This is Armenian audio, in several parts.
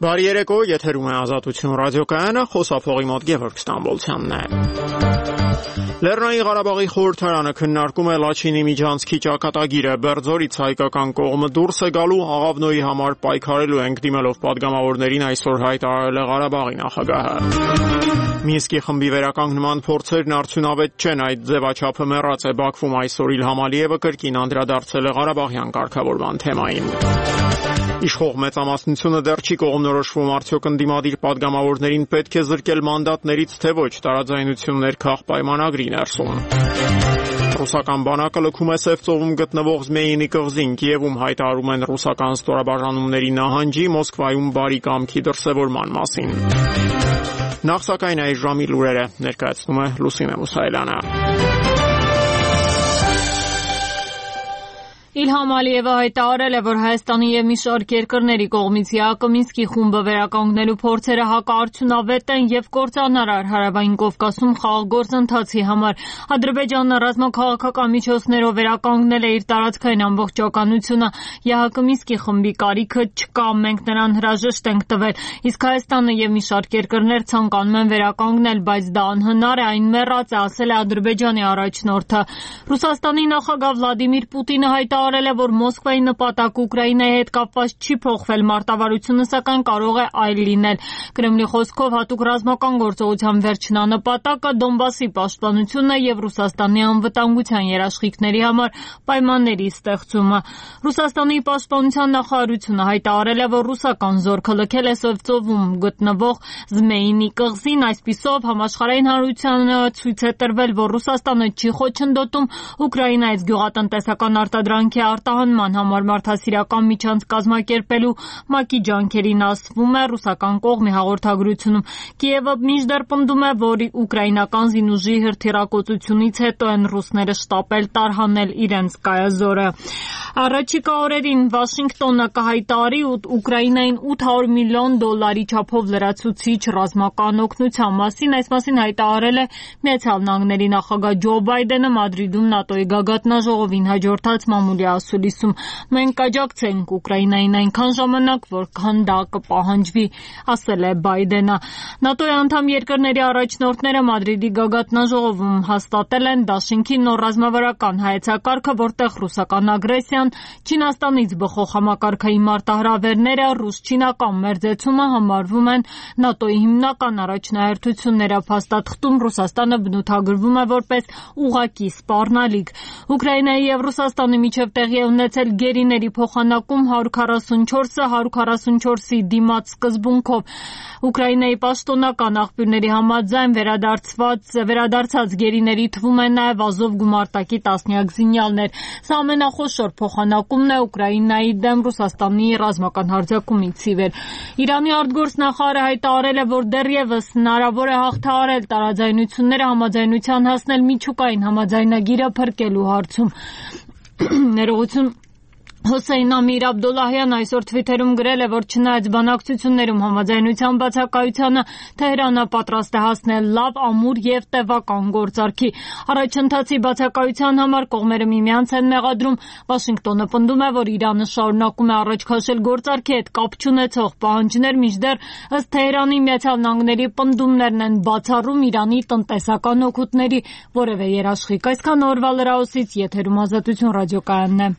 Բարի երեկո, եթերում է Ազատություն ռադիոկայանը, խոսափողի մոտ Գևորգ Ստամբոլցյանն է։ Լեռնային Ղարաբաղի խորհրդարանը քննարկում է Լաչինի միջանցքի ճակատագիրը։ Բերձորից հայկական կողմը դուրս է գալու, Աղավնոյի համար պայքարելու ենք դիմելով падգամավորներին այսօր հայտարարել է Ղարաբաղի նախագահը։ Մինսկի խմբի վերականգնման փորձերն արդյունավետ չեն, այդ ձևաչափը մեռած է Բաքվում այսօր Իլհամ Ալիևը կրկին անդրադարձել է Ղարաբաղյան կարգավորման թեմային։ Իշխող մեծամասնությունը դեռ չի կողմնորոշվում, արդյոք ընդդիմադիր падգամավորներին պետք է զրկել մանդատներից, թե ոչ, տարաձայնություններ քաղ պայմանագրի ներսում։ Ռուսական բանակը լքում է Սևծովում գտնվող Զմեյինի կղզին, Կիևում հայտարարում են ռուսական ստորաբաժանումների նահանջի, Մոսկվայում բարի կամքի դրսևորման մասին։ Նախ սակայն այս ժամի լուրերը ներկայացնում է Լուսինե Մուսայելյանը։ Իլհամ Ալիևը հայտարարել է, որ Հայաստանի եւ մի շարք երկրների կողմից ԵԱԿ Մինսկի խումբը վերականգնելու փորձերը հակարդյունավետ են եւ կործանարար Հարավային Կովկասում խաղաղ գործընթացի համար։ Ադրբեջանը ռազմաքաղաքական միջոցներով վերականգնել է իր տարածքային ամբողջականությունը։ ԵԱՀԿ Մինսկի խմբի կարիքը չկա, մենք նրան հրաժեշտ ենք տվել, իսկ Հայաստանը եւ մի շարք երկրներ ցանկանում են վերականգնել, բայց դա անհնար է, այն մեռած է, ասել է Ադրբեջանի առաջնորդը։ Ռուսաստանի նախագահ Վլադիմիր Պուտինը հայտարարել է, որ Մոսկվայի նպատակը Ուկրաինայի հետ կապված չի փոխվել, մարտավարությունը սակայն կարող է այլ լինել։ Կրեմլի խոսքով հատուկ ռազմական գործողության վերջնանպատակը Դոնբասի պաշտպանությունն է եւ Ռուսաստանի անվտանգության երաշխիքների համար պայմանների ստեղծումը։ Ռուսաստանի պաշտպանության նախարարությունը հայտարարել է, որ ռուսական զորքը լքել է Սևծովում գտնվող Զմեյինի կղզին, այսպիսով համաշխարհային հանրությանը ցույց է տրվել, որ Ռուսաստանը չի խոչընդոտում Ուկրաինայից գյուղատնտեսական արտադրանքի արտահանման համար մարդասիրական միջանց կազմակերպելու ՄԱԿ-ի ջանքերին, ասվում է ռուսական կողմի հաղորդագրությունում։ Կիևը մինչդեռ պնդում է, որ ուկրաինական զինուժի հրթիռակոծությունից հետո են ռուսները շտապել տարհանել իրենց կայազորը։ Առաջիկա օրերին Վաշինգտոնը կհայտարարի Ուկրաինային $800 միլիոն չափով լրացուցիչ ռազմական օգնության մասին։ Այս մասին հայտարարել է Միացյալ Նահանգների նախագահ Ջո Բայդենը Մադրիդում ՆԱՏՕ-ի գագաթնաժողովին հաջորդած մամուլի ասուլիսում։ Մենք կաջակցենք Ուկրաինային այնքան ժամանակ, որքան դա կպահանջվի, ասել է Բայդենը։ ՆԱՏՕ-ի անդամ երկրների առաջնորդները Մադրիդի գագաթնաժողովում հաստատել են դաշինքի նոր ռազմավարական հայեցակարգը, որտեղ ռուսական ագրեսիան, Չինաստանից բխող համակարգային մարտահրավերները, ռուս-չինական մերձեցումը համարվում են ՆԱՏՕ-ի հիմնական առաջնահերթությունները։ Փաստաթղթում Ռուսաստանը բնութագրվում է որպես ուղղակի սպառնալիք։ Ուկրաինայի եւ Ռուսաստանի միջև տեղի է ունեցել գերիների փոխանակում 144-ը 144-ի դիմաց սկզբունքով։ Ուկրաինայի պաշտոնական աղբյուրների համաձայն վերադարձած գերիների թվում են նաև Ազով գումարտակի տասնյակ զինյալներ։ Սա ամենախոշոր փոխանակումն է Ուկրաինայի դեմ Ռուսաստանի ռազմական հարձակումից ի վեր։ Իրանի արտգործնախարարը հայտարարել է, որ դեռևս հնարավոր է հաղթահարել տարաձայնությունները, համաձայնության հասնել միջուկային համաձայնագիրը փրկելու հարցում։ Ներողություն Հոսեյն Ամիր Աբդոլլահյանն այսօր Թվիթերում գրել է, որ չնայած բանակցություններում համաձայնության բացակայությանը, Թեհրանը պատրաստ է հասնել լավ, ամուր եւ տևական գործարքի։ Առաջընթացի բացակայության համար կողմերը միմյանց են մեղադրում։ Վաշինգտոնը պնդում է, որ Իրանը շարունակում է առաջ քաշել գործարքի հետ կապ չունեցող պահանջներ, մինչդեռ ըստ Թեհրանի Միացյալ Նահանգների պնդումներն են բացառում Իրանի տնտեսական օգուտների որևէ երաշխիք։ Այսքան օրվա լրահոսից եթերում Ազատություն ռադիոկայանն է։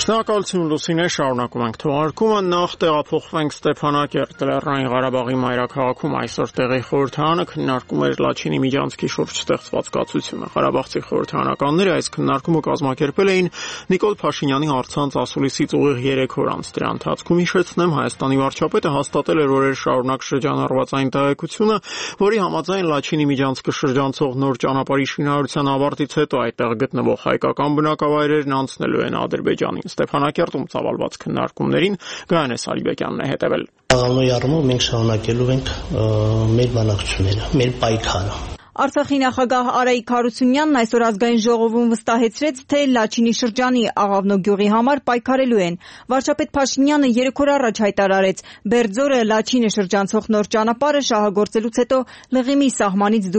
Շնորհակալություն Լուսինե, շարունակում ենք թողարկումը, նախ տեղափոխվենք Ստեփանակերտ, Լեռնային Ղարաբաղի մայրաքաղաքում այսօր տեղի խորհրդարանը քննարկում էր Լաչինի միջանցքի շուրջ ստեղծված կացությունը։ Ղարաբաղցի խորհրդարանականները այս քննարկումը կազմակերպել էին Նիկոլ Փաշինյանի առցանց ասուլիսից ուղիղ 3 օր անց։ Դրա ընթացքում հիշեցնեմ, Հայաստանի վարչապետը հաստատել էր օրեր շարունակ շրջանառված այն տեղեկությունը, որի համաձայն Լաչինի միջանցքը շրջանցող նոր ճանապարհի շինարարության ավարտից հետո այդտեղ գտնվող հայկական բնակավայրերն անցնելու են Ադրբեջանին։ Ստեփանակերտում ծավալված քննարկումներին Գայանե Սարիբեկյանն է հետևել։ Աղավնոյի առումով մենք շարունակելու ենք մեր բանակցությունները, մեր պայքարը։ Արցախի նախագահ Արայիկ Հարությունյանն այսօր ազգային ժողովում վստահեցրեց, թե Լաչինի շրջանի Աղավնո գյուղի համար պայքարելու են։ Վարչապետ Փաշինյանը 3 օր առաջ հայտարարեց, Բերձորը Լաչինը շրջանցող նոր ճանապարհը շահագործելուց հետո Լղիմի սահմանից